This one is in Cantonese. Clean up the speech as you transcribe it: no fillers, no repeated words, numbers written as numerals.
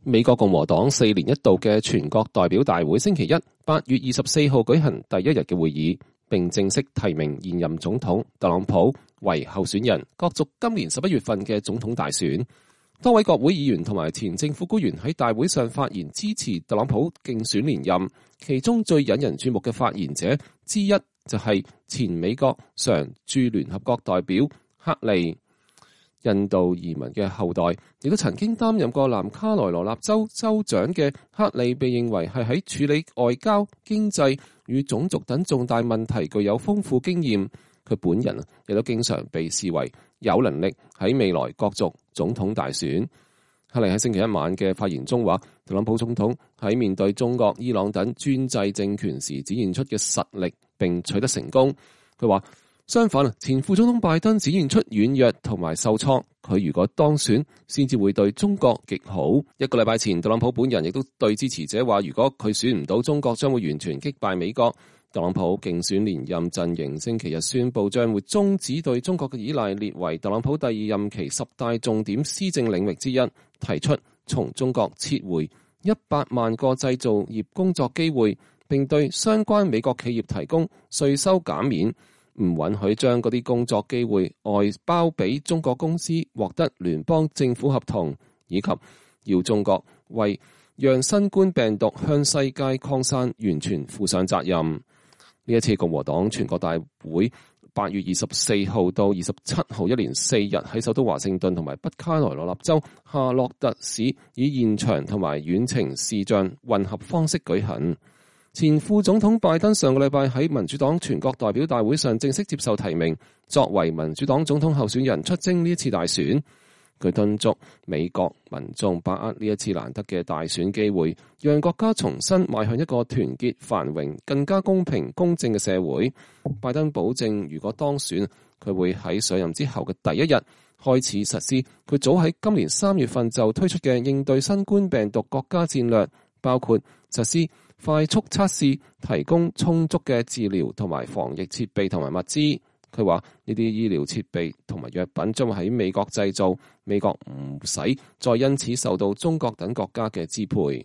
美國共和黨4年一度嘅全國代表大會星期一8月24號舉行第一日嘅會議，並正式提名現任總統特朗普為候選人，角逐今年11月份嘅總統大選。多位國會議員同埋前政府官員喺大會上發言支持特朗普競選連任，其中最引人注目嘅發言者之一就係前美國常駐聯合國代表克利。印度移民嘅後代，亦都曾經擔任過南卡羅來納州州長嘅克利，被認為係喺處理外交、經濟與種族等重大問題具有豐富經驗。佢本人亦都經常被視為有能力喺未來角逐總統大選。克利喺星期一晚嘅發言中話，特朗普總統喺面對中國、伊朗等專制政權時展現出嘅實力並取得成功。佢話，相反，前副總統拜登展現出軟弱同埋受挫，佢如果當選，先至會對中國極好。一個禮拜前，特朗普本人亦都對支持者話，如果佢選唔到，中國將會完全擊敗美國。特朗普競選連任陣營星期日宣布，將會終止對中國嘅依賴，列為特朗普第二任期10大重點施政領域之一，提出從中國撤回100萬個製造業工作機會，並對相關美國企業提供稅收減免。唔允許將嗰啲工作機會外包俾中國公司獲得聯邦政府合同，以及要中國為讓新冠病毒向世界擴散完全負上責任。呢一次共和黨全國大會8月24號到27號一連4日喺首都華盛頓同埋北卡羅來納州夏洛特市以現場同埋遠程視像混合方式舉行。前副總統拜登上個禮拜喺民主黨全國代表大會上正式接受提名，作為民主黨總統候選人出征呢一次大選。佢敦促美國民眾把握呢一次難得嘅大選機會，讓國家重新邁向一個團結、繁榮、更加公平、公正嘅社會。拜登保證，如果當選，佢會喺上任之後嘅第一日開始實施佢早喺今年3月份就推出嘅應對新冠病毒國家戰略，包括實施快速測試，提供充足嘅治療同埋防疫設備同埋物資。佢話呢啲醫療設備同埋藥品將會喺美國製造，美國唔使再因此受到中國等國家嘅支配。